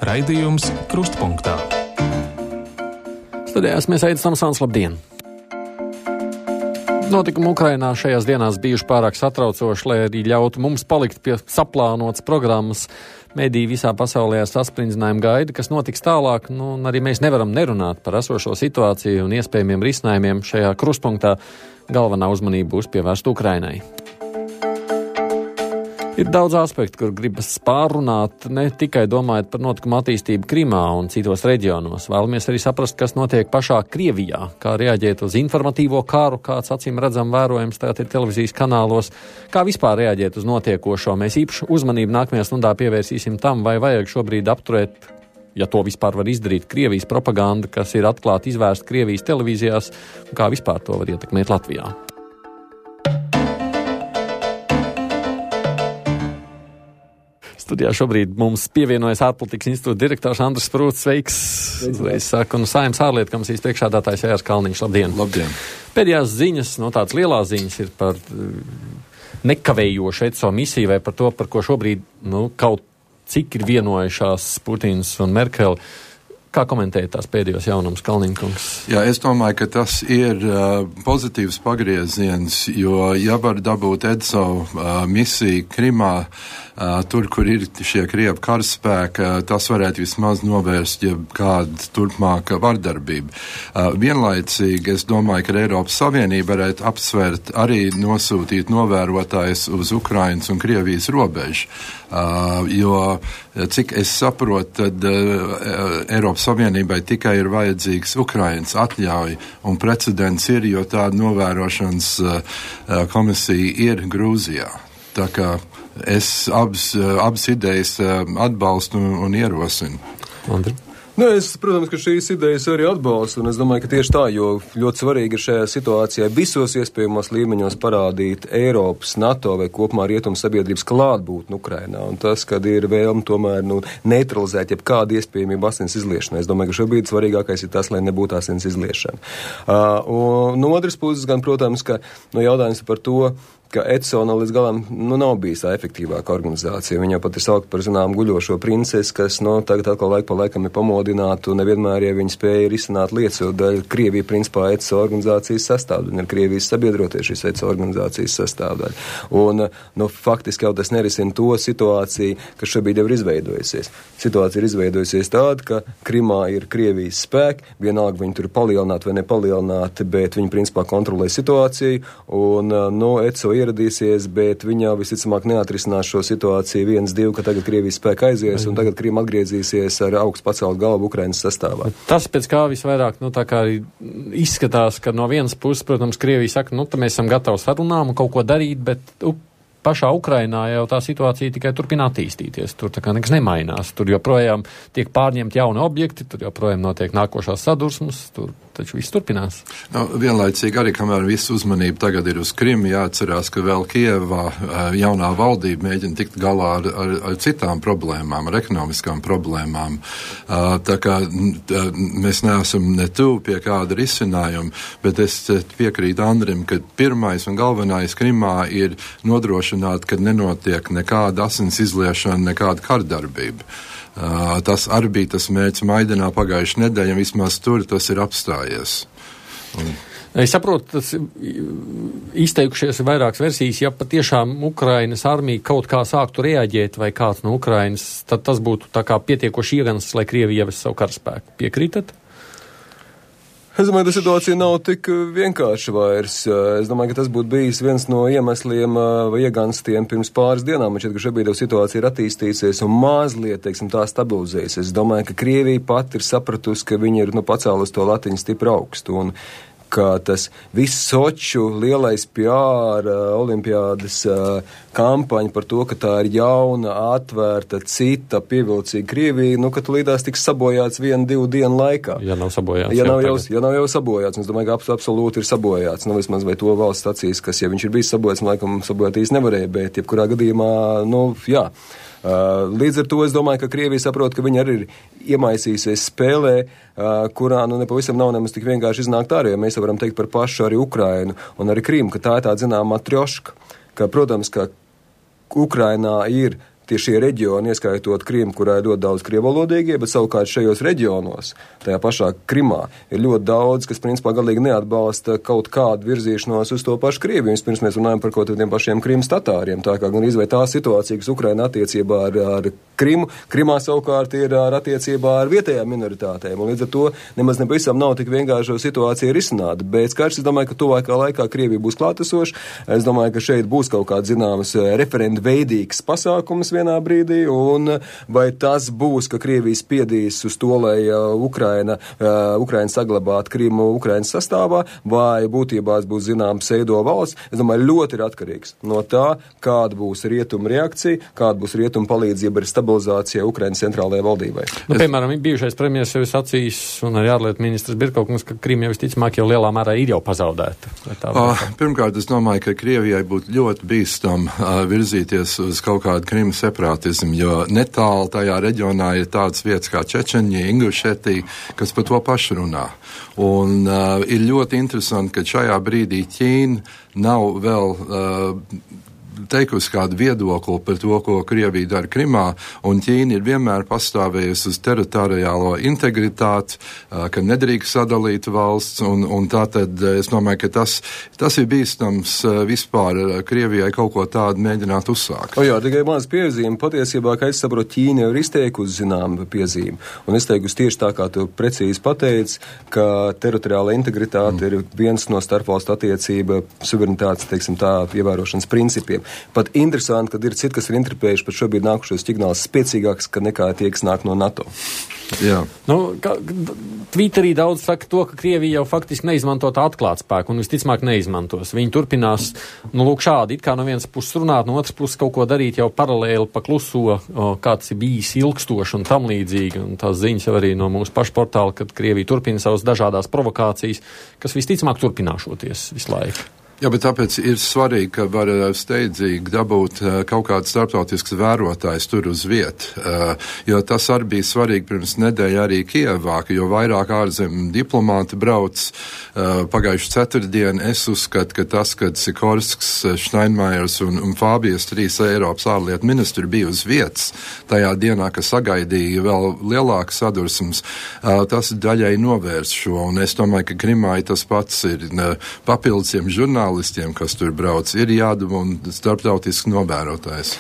Raidījums Krustpunktā. Studijās mēs Aidis Tamsāns, labdien! Notikumi Ukrainā šajās dienās bijuši pārāk satraucoši, lai arī ļautu mums palikt pie saplānotas programmas. Mediji visā pasaulē sasprindzinājumu gaida, kas notiks tālāk, un arī mēs nevaram nerunāt par esošo situāciju un iespējamiem risinājumiem. Šajā Krustpunktā galvenā uzmanība būs pievērsta Ukrainai. Ir daudz aspektu, kur gribas pārrunāt, ne tikai domājot par notikumu attīstību Krimā un citos reģionos. Vēlamies arī saprast, kas notiek pašā Krievijā, kā reaģēt uz informatīvo karu, kāds acīm redzam vērojams tagad ir televīzijas kanālos, kā vispār reaģēt uz notiekošo. Mēs īpašu uzmanību nākamajā stundā pievērsīsim tam, vai vajag šobrīd apturēt, ja to vispār var izdarīt, Krievijas propaganda, kas ir atklāti izvērsta Krievijas televīzijās, un kā vispār to var ietekmēt Latvijā. Studijā šobrīd mums pievienojas ārpolitikas institūta direktors Andris Sprūts. Sveiks! Es saku, un Saeimas ārlietu komisijas priekšsēdētājs Jārs Kalniņš. Labdien! Labdien! Pēdējās ziņas, tādas lielās ziņas ir par nekavējošu ECO misiju vai par to, par ko šobrīd kaut cik ir vienojušās Putins un Merkeli. Kā komentēt tās pēdējos jaunumus, Kalniņkungs? Jā, es domāju, ka tas ir pozitīvs pagrieziens, jo ja var dabūt ECO misiju Krimā, tur, kur ir šie Krievu karaspēki, tas varētu vismaz novērst kādu turpmāku vardarbību. Vienlaicīgi es domāju, ka Eiropas Savienība varētu apsvērt arī nosūtīt novērotājus uz Ukrainas un Krievijas robežu, jo, cik es saprotu, tad Eiropas Savienībai tikai ir vajadzīgs Ukrainas atļauja, un precedents ir, jo tāda novērošanas komisija ir Grūzijā. Tā kā es abas idejas atbalstu un ierosinu. Andri? Es, protams, ka šīs idejas arī atbalstu, un es domāju, ka tieši tā, jo ļoti svarīgi ir šajā situācijā visos iespējamos līmeņos parādīt Eiropas, NATO vai kopumā rietumu sabiedrības klātbūtni Ukrainā, un tas, kad ir vēlme tomēr neutralizēt jebkādu iespējamību asins izliešanu. Es domāju, ka šobrīd svarīgākais ir tas, lai nebūtu asins izliešana. Un no otras puses, gan, protams, ka jautājums par to, ka ECO līdz galam nav bijis tā efektīvāka organizācija. Viņa pat ir saukt par guļošo princesi, kas tagad atkal laiku pa laikam ir pamodināta, un nevienmēr, ja viņi spēja risināt lietas, jo daļa Krievija principā ECO organizācijas sastāvdaļa, ir Krievijas sabiedrotie šīs ECO organizācijas sastāvdaļa. Un faktiski jau tas nerisina to situāciju, kas šobrīd jau ir izveidojusies. Situācija ir izveidojusies tāda, ka Krimā ir Krievijas spēki, vienalga viņi tur ir palielināti vai nepalielināti, bet viņi principā kontrolē situāciju, un ECO ieradīsies, bet viņa visticamāk neatrisinās šo situāciju 1-2, ka tagad Krievijas spēka aizies un tagad Krīma atgriezīsies ar augstu pacelt galvu Ukrainas sastāvā. Tas pēc kā visvairāk, tā kā izskatās, ka no vienas puses, protams, Krievija saka, mēs esam gatavi sarunām un kaut ko darīt, bet pašā Ukrainā jau tā situācija tikai turpina attīstīties. Tur tā kā nekas nemainās. Tur joprojām tiek pārņemti jauni objekti, tur joprojām notiek nākošās sadursmes, tur taču viss turpinās. Vienlaicīgi arī, kamēr visu uzmanību tagad ir uz Krimu, jāatcerās, ka vēl Kievā jaunā valdība mēģina tikt galā ar citām problēmām, ar ekonomiskām problēmām. Tā kā mēs neesam ne tuvu pie kāda risinājuma, bet es piekrītu Andrim, ka pirmais un galvenais Krimā ir nodrošināt, ka nenotiek nekāda asins izliešana, nekāda kardarbība. Tas arī bija tas mērķis Maidanā pagājušajā nedēļā, vismaz tur tas ir apstājies. Es saprotu, tas izteikušies vairākas versijas, ja patiešām Ukrainas armija kaut kā sāktu reaģēt vai kāds no Ukrainas, tad tas būtu tā kā pietiekoši iegansts, lai Krievija ievest savu karaspēku. Piekrītat? Es domāju, ka situācija nav tik vienkārša vairs. Es domāju, ka tas būtu bijis viens no iemesliem vai ieganstiem pirms pāris dienām. Man šķiet, ka šobrīd jau situācija ir attīstījusies un mazliet, tā stabilizējusies. Es domāju, ka Krievija pat ir sapratusi, ka viņi ir pacēlus to latiņu stipri augstu. Un ka tas viss Soču lielais PR olimpiādas kampaņa par to, ka tā ir jauna, atvērta, cita, pievilcīga Krievija, ka tu līdās tiks sabojāts 1-2 dienu laikā. Ja nav sabojāts. Ja nav jau sabojāts. Es domāju, ka absolūti ir sabojāts. Vismaz vai to valsts acīs, kas, ja viņš ir bijis sabojāts, laikam sabojāt īsti nevarēja, bet jebkurā gadījumā, jā. Līdz ar to es domāju, ka Krievija saprot, ka viņi arī ir iemaisījusies spēlē, kurā nepavisam nav nemaz tik vienkārši iznākt ārā, jo mēs varam teikt par pašu arī Ukrainu un arī Krīmu, ka tā ir tāda zināmā matrjoška, ka, protams, ka Ukrainā ir šie reģioni, ieskaitot Krimu, kurā ir ļoti daudz krievalodīgie, bet savukārt šajos reģionos, tajā pašā Krimā, ir ļoti daudz, kas principā galīgi neatbalsta kaut kādu virzīšanos uz to pašu Krieviju. Vispirms mēs runājam par kaut kādiem pašiem Krimas tatāriem, tā kā gan izvei tā situācija, kas Ukraina attiecībā ar Krimu, Krimā savukārt ir ar attiecībā ar vietējām minoritātēm, un līdz ar to nemaz nepavisam nav tik vienkārši situācija risināt, bet skaidrs, es domāju, ka tuvākā laikā Krievija būs klātesoša, es domāju, ka šeit būs kaut kāds zināmas referendu veidīgs pasākums vienā brīdī, un vai tas būs, ka Krievija spiedīs uz to, lai Ukraina saglabātu Krimu Ukrainas sastāvā, vai būtībā būs zinām pseido valsts, es domāju, ļoti ir atkarīgs no tā, kāda būs rietumu reakcija, kāda būs rietumu palīdzība ar stabilizāciju Ukrainas centrālajai valdībai. Piemēram, bijušais premjers jau ir sacījis, un arī ārlietu ministrs Birkaukungs, ka Krima jau visticamāk jau lielā mērā ir jau pazaudēta. Pirmkārt, es domāju, ka Krievijai būtu ļoti bīstam virzīties uz kaut kādu Krimu separātismu, jo netālu tajā reģionā ir tādas vietas kā Čečenija, Ingušetija, kas par to pašu runā. Un ir ļoti interesanti, ka šajā brīdī Ķīna nav vēl teikusi kādu viedokli par to, ko Krievija dara Krimā, un Ķīna ir vienmēr pastāvējusi uz teritoriālo integritāti, ka nedrīkst sadalīt valsts, un tātad es domāju, ka tas ir bīstams vispār Krievijai kaut ko tādu mēģināt uzsākt. Jā, tikai maz piezīme. Patiesībā, kā es saprotu, Ķīna jau ir izteikusi zināma piezīme, un izteikusi tieši tā, kā tu precīzi pateici, ka teritoriāla integritāte ir viens no starpvalstu attiecība suverenitātes, teiksim tā, ievērošanas principiem. Pat interesanti, kad ir citi, kas ir interpējuši pat šobrīd nākušos signālus spēcīgāks, ka nekā tie, kas nāk no NATO. Jā. Twitterī daudz saka to, ka Krievija jau faktiski neizmanto tā atklāt spēku un visticamāk neizmantos. Viņi turpinās, lūk šādi, it kā no vienas puses runāt, no otras puses kaut ko darīt jau paralēli pa kluso, kāds ir bijis ilgstoši un tam līdzīgi. Un tās ziņas jau arī no mūsu pašu portāla, kad Krievija turpina savas dažādās provokācijas, kas visticamāk turpināšoties visu laiku. Jā, bet tāpēc ir svarīgi, ka var steidzīgi dabūt kaut kāds starptautisks vērotājs tur uz vietu, jo tas arī bija svarīgi pirms nedēļa arī Kievā, jo vairāk ārzemju diplomāti brauc pagājuši ceturtdienu. Es uzskatu, ka tas, kad Sikorsks, Steinmeiers un Fābijas 3 Eiropas ārlietu ministri bija uz vietas tajā dienā, ka sagaidīja vēl lielākas sadursmes, tas daļai novērst šo, un es domāju, ka Krimā tas pats ir papildusiem žurnālistiem, kas tur brauc, ir jādama un starptautisks novērotājs.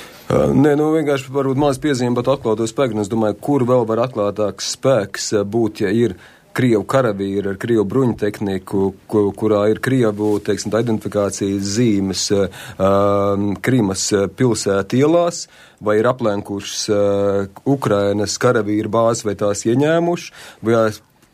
Nē, vienkārši varbūt maz piezīme pat atklāto spēku, un es domāju, kur vēl var atklātāks spēks būt, ja ir Krievu karavīri ar Krievu bruņu tehniku, kurā ir Krievu, teiksim, identifikācijas zīmes Krimas pilsētu ielās, vai ir aplenkušas Ukrainas karavīru bāzes, vai tās ieņēmuši, vai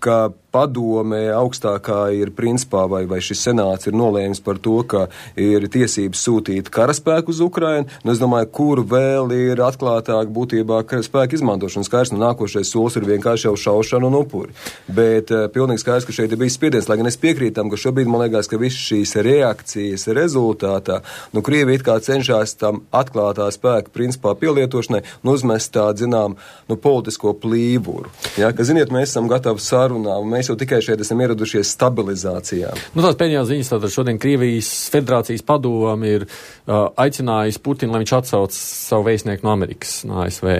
ka padome augstākā ir principā, vai šis senāts ir nolēmis par to, ka ir tiesības sūtīt karaspēku uz Ukrainu. Es domāju, kur vēl ir atklātāk būtībā spēku izmantošana. Skaidrs, nākošais solis ir vienkārši jau šaušana un upuri. Bet pilnīgi skaidrs, ka šeit ir bijis spiediens, lai gan es piekrītam, ka šobrīd man liekas, ka visas šīs reakcijas rezultātā, Krievija it kā cenšas tam atklātā spēka principā pielietošanai un uzmest tādu, zinām, politisko plīvuru. Ja, ka, ziniet, mēs esam gatavi sarunām, mēs jau tikai šeit esam ieradušies stabilizācijā. Tās pēdējās ziņas, tātad šodien Krievijas federācijas padome ir aicinājis Putinu, lai viņš atsauc savu vēstnieku no Amerikas, no ASV.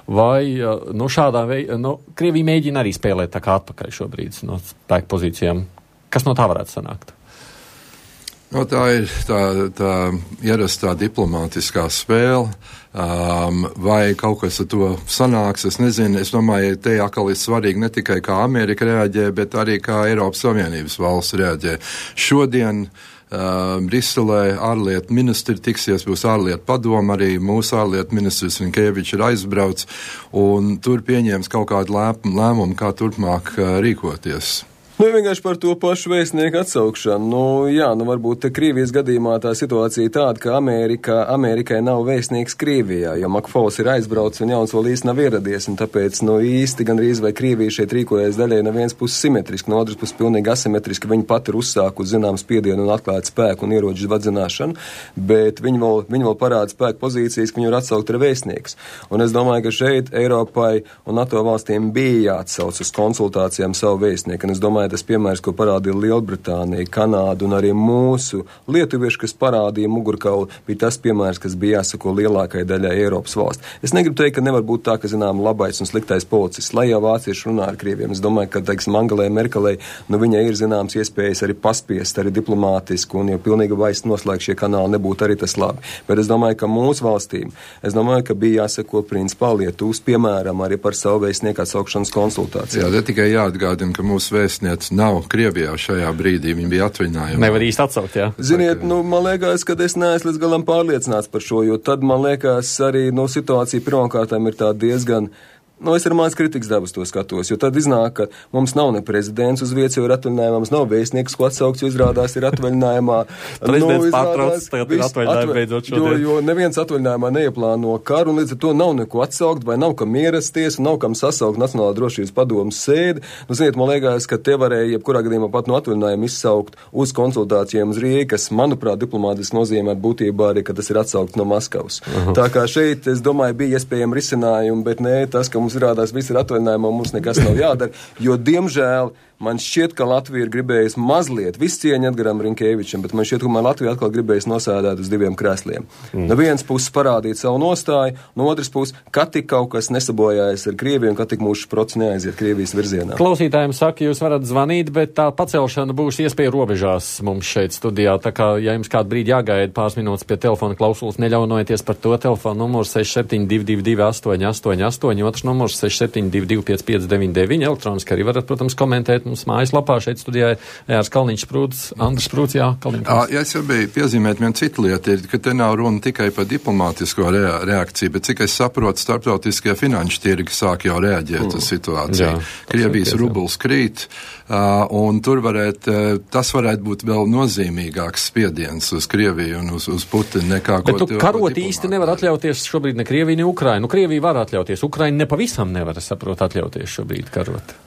Vai šādā veidā, Krievija mēģina arī spēlēt tā kā atpakaļ šobrīd no spēku pozīcijām? Kas no tā varētu sanākt? Tā ir tā ierastā diplomātiskā spēle, vai kaut kas ar to sanāks, es nezinu. Es domāju, te atkal ir svarīgi ne tikai kā Amerika reaģē, bet arī kā Eiropas Savienības valsts reaģē. Šodien Briselē ārlietu ministri tiksies, būs ārlietu padoma, arī mūsu ārlietu ministrs Rinkēvičs ir aizbrauc, un tur pieņēms kaut kādu lēmumu, kā turpmāk rīkoties. Vienkārši par to pašu vēstnieku atsaukšanu. Varbūt Krievijas gadījumā tā situācija tāda, ka Amerikai nav vēstnieks Krievijā, jo Makfauls ir aizbraucis un jauns vēl īsti nav ieradies, un tāpēc īsti gandrīz vai Krievija šeit rīkojas daļai no vienas puses simetriski, no otras puses pilnīgi asimetriski. Viņi pat ir uzsāku zinām spiedienu un atklāt spēku un ieroču vadzināšanu, bet viņi vēl parāda spēku pozīcijas, ka viņi var atsaukt ar vēstnieks. Un es domāju, ka šeit Eiropai un NATO valstīm bija jāatsauc uz konsultācijām savu vēstnieku, un es domāju, tas piemērs, ko parādīja Lielbritānija, Kanāda un arī mūsu lietuvieši, kas parādīja mugurkaulu, bija tas piemērs, kas bija jāsako lielākai daļai Eiropas valsts. Es negribu teikt, ka nevar būt tā, ka, zinām, labais un sliktais policists, lai jau vācieši runā ar krieviem. Es domāju, ka, teiksim, Angelai Merkelei, viņai ir zināms iespējas arī paspiest, arī diplomātiski, un jau pilnīgi vairs noslēgt šie kanāli nebūtu arī tas labi. Bet es domāju, ka mūsu valstīm, bija jāsako principā Lietuvas piemēram arī par savu vēstnieku atsaukšanas konsultāciju. Jā, tikai jāatgādina, ka mūsu vēstniece nav Krievijā šajā brīdī, viņa bija atvaļinājumā. Nevar īsti atsaukt, jā. Ziniet, man liekas, ka es neesmu līdz galam pārliecināts par šo, jo tad, man liekas, arī situācija pirmkārtām ir tā diezgan. Es ar mans kritikas dabas to skatos, jo tad iznāk, ka mums nav ne prezidents uz vietas, jo ir atvaļinājumā, mums nav vēstnieks, ko atsaukts, jo izrādās ir atvaļinājumā. Prezidents pārtrauc, tagad ir atvaļinājumi beidzot šodien. Jo neviens atvaļinājumā neieplāno karu, un līdz ar to nav neko atsaukt, vai nav kam ierasties, un nav kam sasaukt Nacionālā drošības padomas sēdi. Ziniet, man liekas, ka te varēja jebkurā gadījumā pat no atvaļinājuma izsaukt uz konsultācijām uz Rīgu, kas, manuprāt, diplomātiski nozīmē būtībā arī, ka tas ir atsaukt no Maskavas. Tā kā šeit, es domāju, bija iespējami risinājumi, bet ne tas, ka mums izrādās viss ir atvaļinājumā, mums nekas nav jādara, jo, diemžēl, man šķiet, ka Latvija ir gribējusi mazliet, viss cieņa Edgaram Rinkēvičam, bet man šķiet, ka Latvija atkal gribējusi nosēdēt uz diviem krēsliem. No vienas puses parādīt savu nostāju, no otras puses, ka tik kaut kas nesabojājas ar Krieviju un ka tik mūsu process neaiziet Krievijas virzienā. Klausītājiem saka, jūs varat zvanīt, bet tā pacelšana būs iespēja robežās mums šeit studijā, tā kā, ja jums kādu brīdi jāgaida pāris minūtes pie telefona klausulas, neļaunojieties par to. Telefona numurs 6722 888, otrs numurs 6722 5599, elektroniski arī varat, protams, komentēt. Mums mājaslapā šeit studijā Jārs Kalniņš Sprūds, Andris Sprūds, jā, Kalniņš. Ja es jau biju piezīmēt vienu citu lietu, ka te nav runa tikai par diplomātisko reakciju, bet cik es saprotu, starptautiskie finanšu tirgi sāk jau reaģēt uz situāciju. Jā, Krievijas rubls krīt, un tur tas varētu būt vēl nozīmīgāks spiediens uz Krieviju un uz Putinu nekā bet ko karot īsti nevar atļauties šobrīd ne Krievija, ne Ukraina. Krievija var atļauties, Ukraina nepavisam nevar, saprot, atļauties šobrīd karot.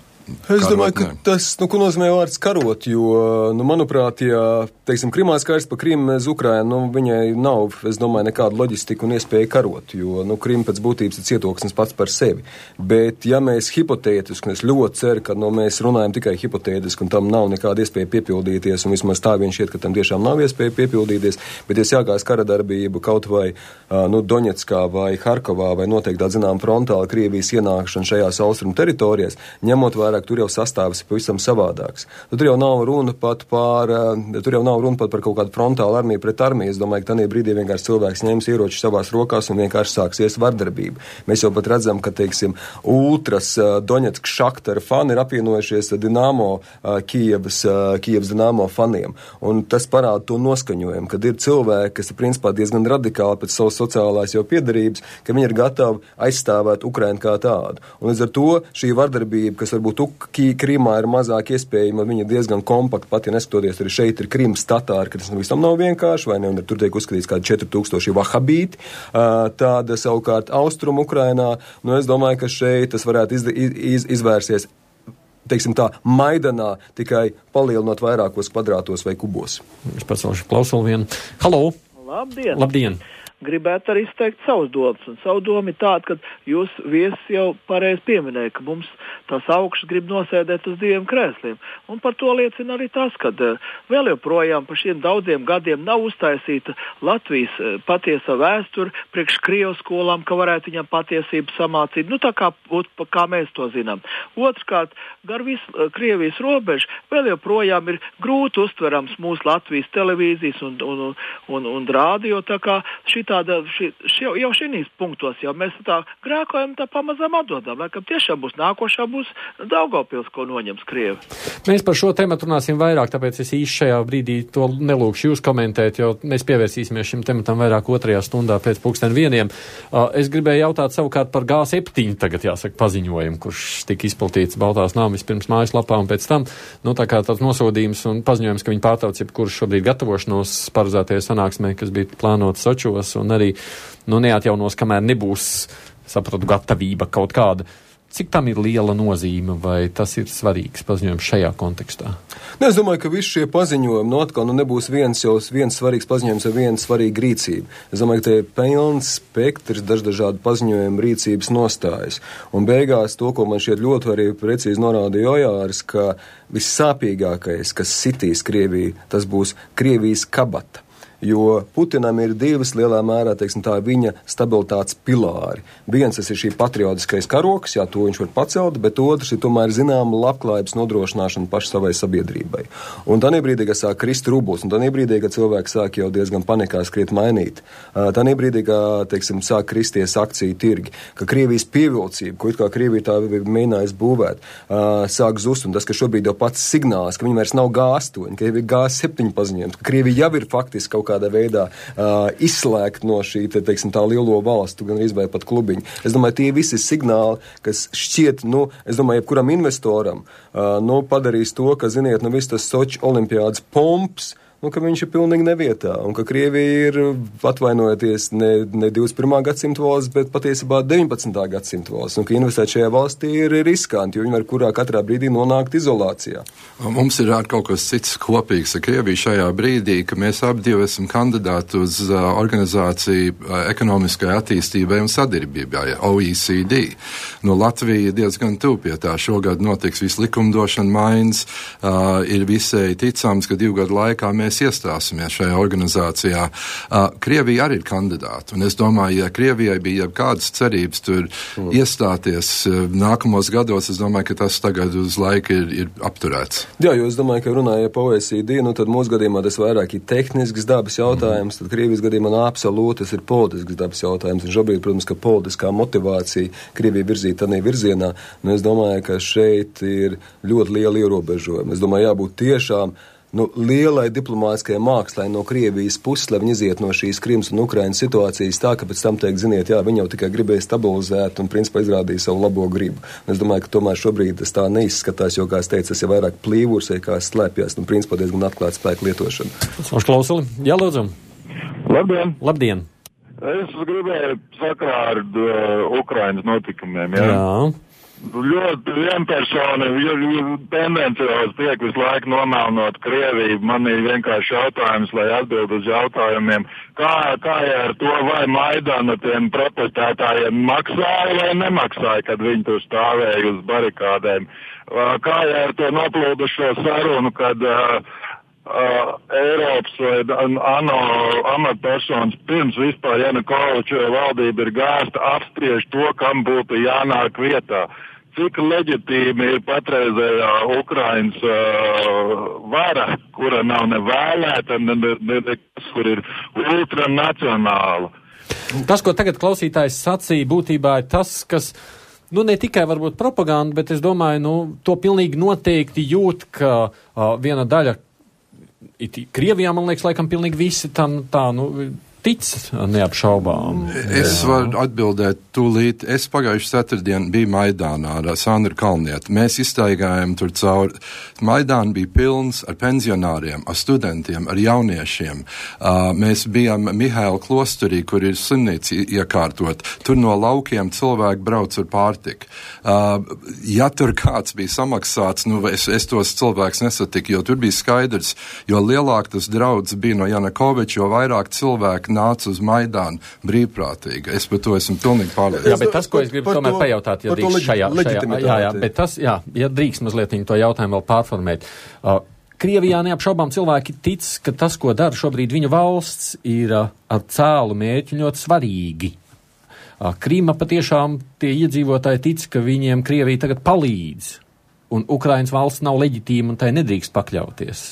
Es domāju, ka tas, ko nozīmē vārds karot, jo, manuprāt, ja, teiksim, Krimās kārs pa Krimu uz Ukrainu, viņai nav, es domāju, nekāda loģistika un iespēja karot, jo, Krima pēc būtības ir cietoksnis pats par sevi. Bet, ja mēs hipotētiski, un es ļoti ceru, ka, mēs runājam tikai hipotētiski, un tam nav nekāda iespēja piepildīties, un vismaz tā vien šķiet, ka tam tiešām nav iespēja piepildīties, bet, ja sākās kara darbība kaut vai, Doņetskā vai Harkovā, vai noteikti tā zinām frontāla Krievijas ienākšana šajās austrumu teritorijās, ņemot vērā, tur jau sastāvs ir pavisam savādāks. Tur jau nav runa pat par kaut kādu frontālu armiju pret armiju. Es domāju, ka tādā brīdī vienkārši cilvēks ņems ieroči savās rokās un vienkārši sāksies vardarbība. Mēs jau pat redzam, ka, teiksim, ultras Doņetska Šaktara fani ir apvienojušies Dinamo Kijevas Dinamo faniem. Un tas parāda to noskaņojumu, kad ir cilvēki, kas ir principā diezgan radikāli pēc savas sociālās jau piedarības, ka viņi ir gatavi aizstāvēt Ukrainu kā tādu. Un līdz ar to šī vardarbība, kas varbūt Krimā ir mazāk iespējama, viņa diezgan kompakta, pat ja neskatoties arī šeit ir Krimas tatāri, ka tas visam nav vienkārši, vai ne, un tur tiek uzskatīts kādi 4000 vahabīti, tāda savukārt austrumu Ukrainā, es domāju, ka šeit tas varētu izvērsies, teiksim tā, Maidanā, tikai palielinot vairākos kvadrātos vai kubos. Es pacelšu klausulu vienu. Halo! Labdien! Labdien! Gribētu arī izteikt savus domas, un savu domu ir tāda, ka jūs viesis jau pareizi pieminēja, ka mums tās augšas grib nosēdēt uz diviem krēsliem, un par to liecina arī tas, ka vēl joprojām par šiem daudziem gadiem nav uztaisīta Latvijas patiesa vēsture priekš Krievijas skolām, ka varētu viņam patiesību samācīt, tā kā mēs to zinām. Otrkārt, gar visu Krievijas robežu vēl joprojām ir grūti uztverams mūsu Latvijas televīzijas un rādio, tā kā jau šīs punktos jau mēs tā grēkojam, tā pamazām atdodam, laikam tiešām nākošā būs Daugavpils, ko noņems Krievi. Mēs par šo tematu runāsim vairāk, tāpēc es īsti šajā brīdī to nelūkšu jūs komentēt, jo mēs pievērsīsimies šim tematam vairāk 2. stundā pēc 12:00. Es gribēju jautāt savukārt par G7 tagad jāsaka paziņojumu, kurš tika izplatīts Baltās nāmas pirms mājaslapā un pēc tam, tā kā tāds nosodījums un paziņojums, ka viņi pārtrauc jebkurš šobrīd gatavošanos paredzētajai sanāksmē, kas bija plānota Sočos un arī neatjaunos, kamēr nebūs, sapratu, gatavība kaut kāda. cik tam ir liela nozīme, vai tas ir svarīgs paziņojums šajā kontekstā? Es domāju, ka visi šie paziņojumi atkal nebūs viens svarīgs paziņojums ar vienu svarīgu rīcību. Es domāju, ka te ir pilns spektrs dažādu paziņojumu rīcības nostājas. Un beigās to, ko man šķiet ļoti arī precīzi norādīja Ojārs, ka vissāpīgākais, kas sitīs Krieviju, tas būs Krievijas kabata. Jo Putinam ir divas lielā mērā, teiksim tā, viņa stabilitātes pilāri. Viens tas ir šī patriotiskais karoks, jā, to viņš var pacelt, bet otrs ir tomēr zināma labklājības nodrošināšana paši savai sabiedrībai. Un tādā brīdī, kad sāk krist rublis, un tādā brīdī, kad cilvēki sāk jau diezgan panikā skriet mainīt, tādā brīdī, kad, teiksim, sāk kristies akciju tirgi, ka Krievijas pievilcība, ko it kā Krievija tā mēģinājas būvēt, sāk zust, un tas, ka šobrīd jau pats signāls, ka viņi vairs nav G8, ka jau ir G7 paziņojums, ka Krievija jau ir faktiski kaut kādā veidā izslēgt no šī, teiksim, tā lielo valstu, gan arī pat klubiņu. Es domāju, tie visi signāli, kas šķiet, es domāju, jebkuram investoram, padarīs to, ka, ziniet, viss tas Soči olimpiādas pomps, ka viņš ir pilnīgi nevietā, un ka Krievija ir, atvainojoties, ne 21. gadsimta valsts, bet patiesībā 19. gadsimta valsts, un ka investēt šajā valstī ir riskanti, jo viņi var kurā katrā brīdī nonākt izolācijā. Mums ir ar kaut kas cits kopīgs ar Krieviju šajā brīdī, ka mēs abi divi esam kandidāti uz organizāciju ekonomiskai attīstībai un sadarbībai, OECD. Latvija diezgan tuvu pie tā. Šogad notiks viss likumdošana maiņas, ir visai ticams, ka 2 gadu laikā mēs iestāsimies šajā organizācijā. Krievija arī ir kandidāta, un es domāju, ja Krievijai bija kādas cerības tur iestāties nākamos gados, es domāju, ka tas tagad uz laiku ir apturēts. Jā, jo es domāju, ka runāja par OECD, tad mūsu gadījumā tas vairāk ir tehnisks dabas jautājums, tad Krievijas gadījumā absolūti tas ir politisks dabas jautājums, un šobrīd, protams, ka politiskā motivācija Krievija virzīt tādā virzienā, es domāju, ka šeit ir ļoti liela ierobežojuma. Es domāju, jābūt tiešām lielai diplomātiskajai mākslai no Krievijas puses, lai viņi iziet no šīs Krimas un Ukrainas situācijas tā, ka pēc tam teikt, ziniet, jā, viņi jau tikai gribēja stabilizēt un principā izrādīja savu labo gribu. Es domāju, ka tomēr šobrīd tas tā neizskatās, jo, kā es teicu, tas ir vairāk plīvurs, kā slēpjas, un principā diezgan atklāt spēku lietošana. Klausuli, jā, lūdzu. Labdien! Labdien! Es gribēju sakarā ar Ukrainas notikumiem, jā? Jā. Ļoti vienpersoni, tendenciāls tiek visu laiku nomelnot Krieviju. Man ir vienkārši jautājums, lai atbild uz jautājumiem, kā ar to, vai Maidana tiem protestētājiem maksāja vai nemaksāja, kad viņi tur stāvēja uz barikādēm. Kā ar to noplūdušo sarunu, kad Eiropas vai ANO amatpersonas pirms vispār Janukoviča valdība ir gāsta apspriež to, kam būtu jānāk vietā. Cik leģitīmi ir patreizējā Ukrainas vara, kura nav nevēlēta, kur ir ultranacionāla. Tas, ko tagad klausītājs sacīja, būtībā ir tas, kas ne tikai varbūt propaganda, bet es domāju, to pilnīgi noteikti jūt, ka viena daļa Krievijā, man liekas, laikam pilnīgi visi tam tā, tic neapšaubām. Es varu atbildēt tūlīt. Es pagājuši ceturtdien biju Maidānā ar Sandru Kalnietu. Mēs iztaigājām tur cauri. Maidāna bija pilns ar pensionāriem, ar studentiem, ar jauniešiem. Mēs bijām Mihaila klosterī, kur ir slimnīca iekārtot. Tur no laukiem cilvēki brauc ar pārtiku. Ja tur kāds bija samaksāts, es tos cilvēkus nesatiku, jo tur bija skaidrs, jo lielāk tas draudz bija no Janukoviča, jo vairāk cilvēki nāca uz Maidānu brīvprātīgi. Es par to esmu pilnīgi pārliecināts. Jā, bet tas, ko es gribu tomēr pajautāt, ja drīkst šajā, bet tas, ja drīkst mazliet to jautājumu vēl pārformēt. Krievijā neapšaubām cilvēki tic, ka tas, ko dara šobrīd viņu valsts, ir ar cēlu mērķi ļoti svarīgi. Krīma patiešām tie iedzīvotāji tic, ka viņiem Krievija tagad palīdz, un Ukrainas valsts nav leģitīma un tai nedrīkst pakļauties.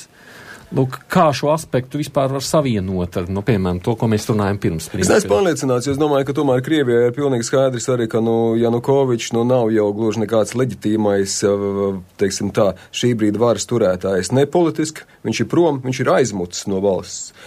Kā šo aspektu vispār var savienot ar, piemēram, to, ko mēs runājam pirms? Es neesmu pārliecināts, jo es domāju, ka tomēr Krievijai ir pilnīgi skaidrs arī, ka Janukovičs nav jau gluži nekāds leģitīmais, teiksim tā, šī brīda varas turētājs. Ne politiski, viņš ir prom, viņš ir aizmucis no valsts.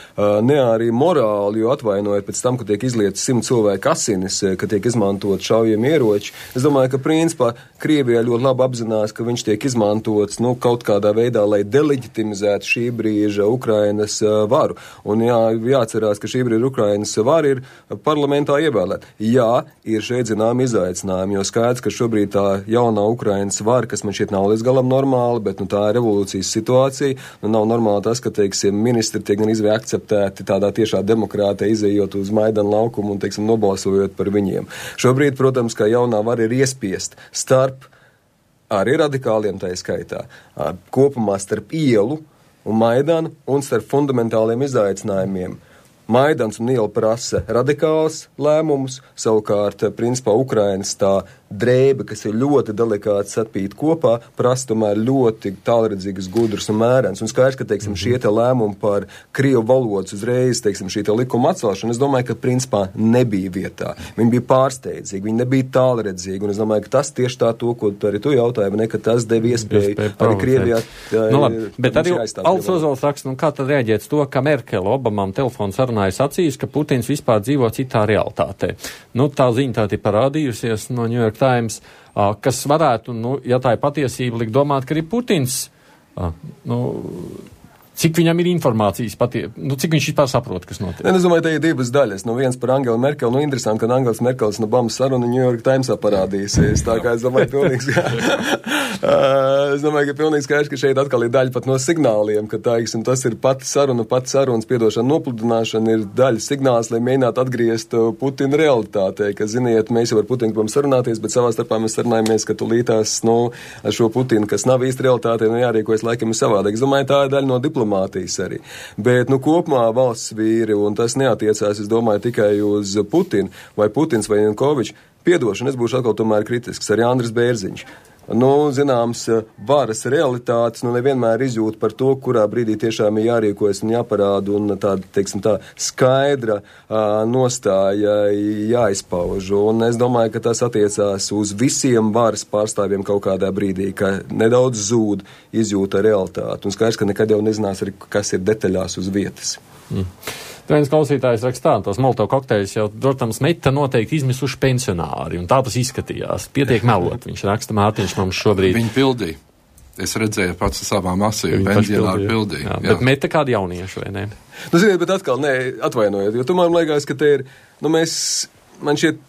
Ne arī morāli, jo atvainojot pēc tam, ka tiek izlietas 100 cilvēku asinis, ka tiek izmantot šaujami ieroči. Es domāju, ka principā Krievijā ļoti labi apzinās, ka viņš tiek izmantots, kaut kādā veidā, lai deleģitimizētu šī brīda sagrīža Ukrainas varu. Un jāatcerās, ka šī brīdī Ukrainas vara ir parlamentā ievēlēta. Jā, ir šeit zinām izaicinājumi, jo skaidrs, ka šobrīd tā jaunā Ukrainas vara, kas man šeit nav līdz galam normāli, bet tā ir revolūcijas situācija. Nav normāli tas, ka, teiksim, ministri tiek gan izvēl akceptēti tādā tiešā demokrātē, izējot uz Maidana laukumu un, teiksim, nobalsojot par viņiem. Šobrīd, protams, ka jaunā vara ir iespiest starp arī radikāliem tā skaitā, kopumā starp ielu un Maidanu un starp fundamentāliem izaicinājumiem. Maidans un iela prasa radikāls lēmumus, savukārt, principā, Ukrainas tā drēbe, kas ir ļoti delikāti sapīt kopā, prasa tomēr ļoti tālredzīgas, gudras un mērens. Un skaidrs, ka, teiksim, šie te lēmumi par krievu valodas uzreiz, teiksim, šī te likuma atcelšana, es domāju, ka, principā, nebija vietā. Viņi bija pārsteidzīgi, viņi nebija tālredzīgi, un es domāju, ka tas tieši tā to, ko arī tu jautāji, ne, ka tas deva iespēju arī Krievijā. Bet arī Alts Ozols raksta, kā tad reaģēt to, ka Merkele Obamam telefonu sarunā ir sacījis, ka Putins vispār dzīvo citā realitātē. Tā ziņa tā ir parādījusies no New York Times, kas varētu, ja tā ir patiesība, likt domāt, ka arī Putins, cik viņam ir informācijas cik viņš vispār saprot, kas notiek? Es domāju, te ir divas daļas. Viens par Angelu Merkeli. Interesanti, ka Angels Merkelis no Obamas saruna New York Timesā parādīsies. Tā kā es domāju, pilnīgs, es domāju, ka pilnīgi skaidrs, ka šeit atkal ir daļa pat no signāliem, ka tas ir pati sarunas piedošana, nopludināšana ir daļa signāls, lai mēģinātu atgriezt Putina realitātei, ka, ziniet, mēs jau ar Putinu gribam sarunāties, bet savā starpā mēs sarunājamies, ka tulītās, ar šo Putinu, kas nav īsti realitātei, jārīkojas laikam ir savādāk. Es domāju, tā ir daļa no diplomātijas arī. Bet, kopumā valsts vīri, un tas neatiecās, es domāju, tikai uz Putinu, vai Putins vai Janukovičs, piedošana, es būšu atkal tomēr kritisks, arī Andris Bērziņš. Zināms, varas realitātes, nevienmēr izjūt par to, kurā brīdī tiešām ir jārīkojas un jāparāda, un tā skaidra nostāja jāizpauž. Un es domāju, ka tas attiecās uz visiem varas pārstāvjiem kaut kādā brīdī, ka nedaudz zūd izjūta realitāti. Un skaidrs, ka nekad jau nezinās arī, kas ir detaļās uz vietas. Viens klausītājs rakstā, tos Molotov kokteļus jau, protams, meta noteikti izmisuši pensionāri, un tā tas izskatījās. Pietiek melot, viņš raksta, Mārtiņš mums šobrīd. Viņi pildīja. Es redzēju pats savām asīm, pensionāri pildīja. Jā. Bet meta kādi jaunieši, vai ne? Ziniet, bet atkal, atvainojiet, jo tomēr man liekas, ka te ir, man šķiet,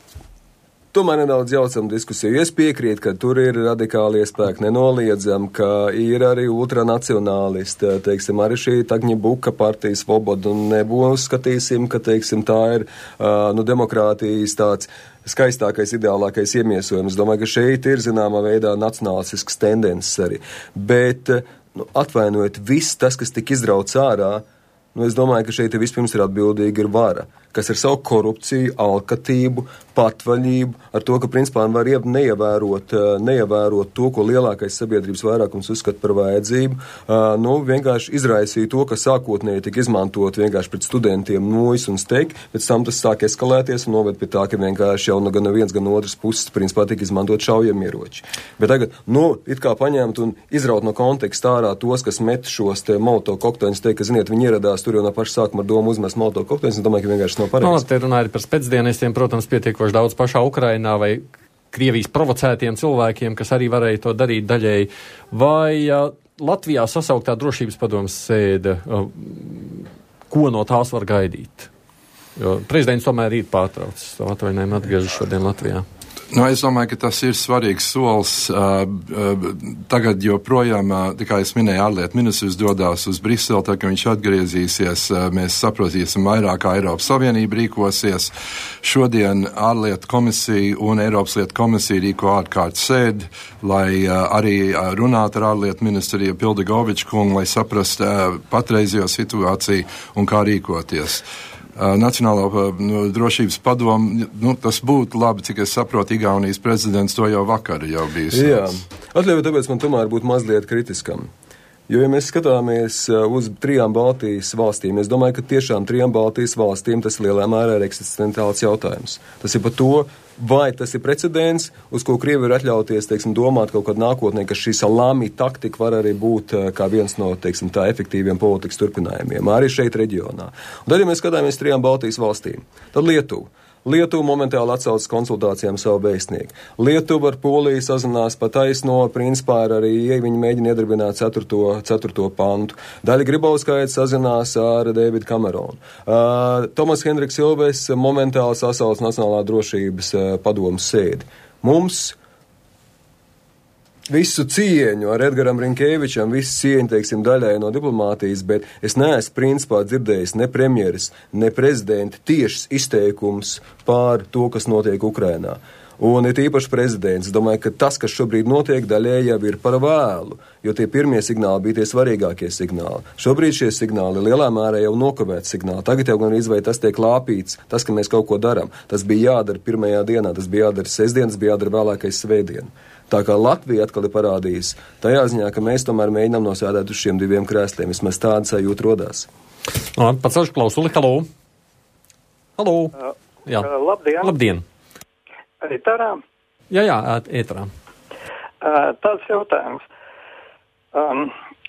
tomēr nedaudz jaucam diskusiju. Es piekrītu, ka tur ir radikāli spēki, nenoliedzam, ka ir arī ultranacionālisti, teiksim, arī šī Tagņibuka partijas Svoboda, un neuzskatīsim, ka, teiksim, tā ir, demokrātijas tāds skaistākais, ideālākais iemiesojums. Es domāju, ka šeit ir, zināmā veidā, nacionālistisks tendences arī. Bet, atvainojiet, viss tas, kas tika izrauts ārā, es domāju, ka šeit vispirms ir atbildīga ir vara, kas ir savu korupciju, alkatību, patvaļību, ar to, ka principā var neievērot to, ko lielākais sabiedrības vairākums uzskata par vajadzību. Vienkārši izraisīja to, ka sākotnēji tika izmantot vienkārši pret studentiem nojas un steigi, pēc tam tas sāk eskalēties un noved pie tā, ka vienkārši jau gan no viens, gan no otras puses principā tika izmantot šaujamieroči. Bet tagad, it kā paņemt un izraut no konteksta ārā tos, kas met šos te Molotov kokteļus, teikt, ka, ziniet, viņi ieradās tur jau no paša sākuma ar domu uzmest Molotov kokteļus, un domāju, ka vienkārši nav pareizi. Te runāja par spēcdienestiem, protams, pietiekoši daudz pašā Ukrainā vai Krievijas provocētiem cilvēkiem, kas arī varēja to darīt daļēji. Vai Latvijā sasauktā drošības padomes sēde, ko no tās var gaidīt? Jo prezidents tomēr ir pārtraucis savu atvaļinājumu, atgriežas šodien Latvijā. Es domāju, ka tas ir svarīgs solis. Tagad joprojām, kā es minēju, ārlietu ministrs dodās uz Briseli, tā ka viņš atgriezīsies, mēs saprotīsim vairāk, kā Eiropas Savienība rīkosies. Šodien ārlietu komisija un Eiropas lietu komisija rīko ārkārtas sēdi, lai arī runātu ar ārlietu ministru Pildegoviču kungu, lai saprastu patreizējo situāciju un kā rīkoties. Nacionālo drošības padomu, tas būtu labi, cik es saprotu, Igaunijas prezidents to jau vakar jau bijis. Jā, atļauju, tāpēc man tomēr būtu mazliet kritiskam. Jo, ja mēs skatāmies uz 3 Baltijas valstīm, es domāju, ka tiešām 3 Baltijas valstīm tas lielā mērā ir eksistenciāls jautājums. Tas ir par to, vai tas ir precedents, uz ko Krievi ir atļauties, domāt kaut kad nākotnē, ka šī salāmi taktika var arī būt kā viens no, tā efektīviem politikas turpinājumiem, arī šeit reģionā. Un tad, ja mēs skatāmies 3 Baltijas valstīm, tad Lietuva. Lietuva momentāli atsaucas konsultācijām savu vēstnieku. Lietuva ar Poliju sazinās pa taisno, principā arī viņi mēģina iedarbināt 4. pantu. Daļa Grybauskaite sazinās ar Davidu Kameronu. Tomas Hendriks Ilves momentāli sasauc Nacionālā drošības padomes sēdi. Mums visu cieņu ar Edgaram Rinkēvičam, visu cieņu, teiksim, daļai no diplomātijas, bet es neesmu principā dzirdējis ne premjeras, ne prezidenta tiešas izteikums pār to, kas notiek Ukrainā. Un ir īpaši prezidents. Es domāju, ka tas, kas šobrīd notiek, daļēji jau ir par vēlu, jo tie pirmie signāli bija tie svarīgākie signāli. Šobrīd šie signāli lielā mērā jau nokavēt signāli. Tagad jau gan izvai tas tiek lāpīts, tas, ka mēs kaut ko darām. Tas bija jādara pirmajā dienā, tas bija jādara sestdien, tas bija jādara vēlākais svētdien. Tā kā Latvija atkal ir parādījis, tajā ziņā, ka mēs tomēr mēģinām nosēdēt uz šiem 2 krēsliem. Vismaz tāda sajūta rodās. Pacelšu klausuli. Halo. Halo. Jā. Labdien. Labdien. Ēterā? Jā, ēterā. Tāds jautājums.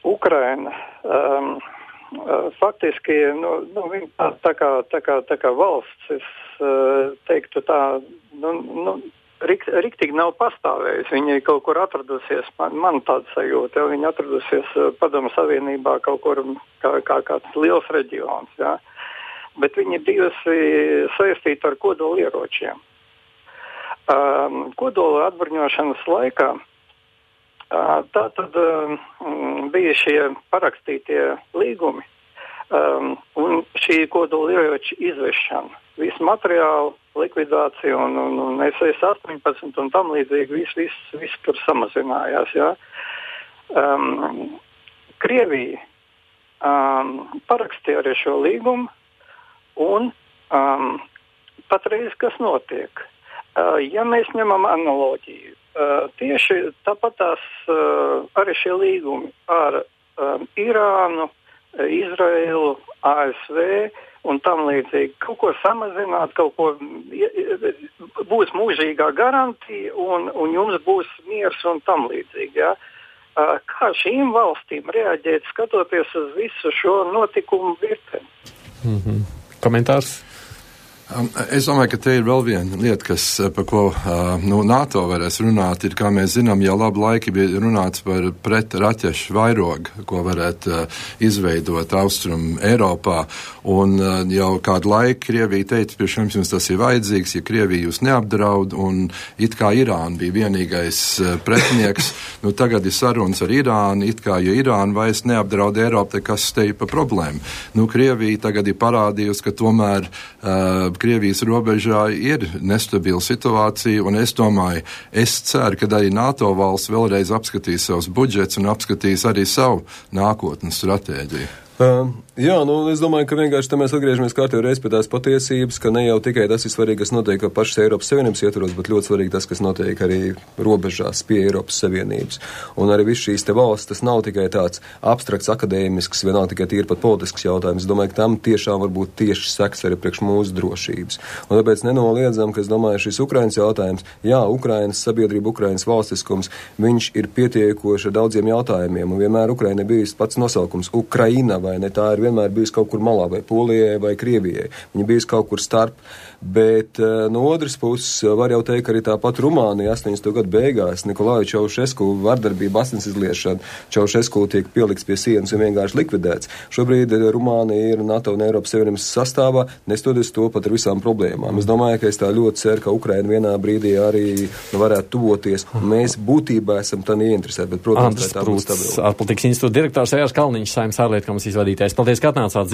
Ukraina faktiski, viņa tā kā valsts, es teiktu tā, riktīgi nav pastāvējusi. Viņa kaut kur atradusies, man tāda sajūta, viņa atradusies Padomu Savienībā kaut kur kā kāds liels reģions, jā. Bet viņa bijusi saistīta ar kodolieročiem. Kodola atbruņošanas laikā tātad bija šie parakstītie līgumi un šī kodolieroča izvešana. Visu materiālu, likvidāciju un SS-18 un tam līdzīgi viss tur samazinājās. Ja? Krievija parakstīja arī šo līgumu un patreiz kas notiek? Ja mēs ņemam analoģiju, tieši tāpatās arī šie līgumi ar Irānu, Izraēlu, ASV un tam līdzīgi. Kaut ko samazināt, kaut ko būs mūžīgā garantija un jums būs miers un tam līdzīgi. Ja? Kā šīm valstīm reaģēt, skatoties uz visu šo notikumu virkni? Komentārs? Es domāju, ka te ir vēl viena lieta, par ko NATO varēs runāt, ir, kā mēs zinām, jau labu laiku bija runāts par pretraķešu vairogu, ko varētu izveidot Austrum Eiropā, un jau kādu laiku Krievija teica, pirms jums tas ir vajadzīgs, ja Krievija jūs neapdraud, un it kā Irāna bija vienīgais pretinieks, tagad ir sarunas ar Irānu, it kā, ja Irāna vairs neapdraud Eiropu, tad kas te ir pa problēmu? Krievija tagad ir parādījusi, ka tomēr Krievijas robežā ir nestabila situācija, un es domāju, es ceru, ka arī NATO valsts vēlreiz apskatīs savus budžets un apskatīs arī savu nākotnes stratēģiju. Jā, es domāju, ka vienkārši mēs atgriežamies kārtībā reiz pie tās patiesības, ka ne jau tikai tas ir svarīgi, kas notiek pašas Eiropas Savienības ietvaros, bet ļoti svarīgi tas, kas notiek arī robežās pie Eiropas Savienības. Un arī viss šīs te valsts, tas nav tikai tāds abstrakts, akadēmisks, vienalga tikai tīri pat politisks jautājums. Es domāju, ka tam tiešām var būt tieši seks arī priekš mūsu drošības. Un tāpēc nenoliedzam, ka es domāju, šis Ukrainas jautājums, jā, Ukrainas sabiedrība, Ukrainas valstiskums, viņš ir pietiekoši ar daudziem jautājumiem, un vienmēr Ukraina bijis pats nosaukums Ukraina, vai ne? Tā ir vienmēr bijusi kaut kur malā, vai Polijai, vai Krievijai. Viņa bijusi kaut kur starp, bet no otras puses var jau teikt, ka arī tāpat Rumānija 80. gadu beigās Nikolaju Čaušesku vardarbība, asins izliešana, Čaušesku tiek pielikts pie sienas un vienkārši likvidēts. Šobrīd Rumānija ir NATO un Eiropas Savienības sastāvā, nestoties to pat ar visām problēmām. Es domāju, ka es tā ļoti ceru, ka Ukraina vienā brīdī arī varētu tuvoties, un mēs būtībā esam tā neinteresēti, bet, protams, tā būs stabila. Ārpolitikas institūta direktors Ejārs Kalniņš, Saeimas ārlietu komisijas vadītājs. Paldies, ka atnācāt.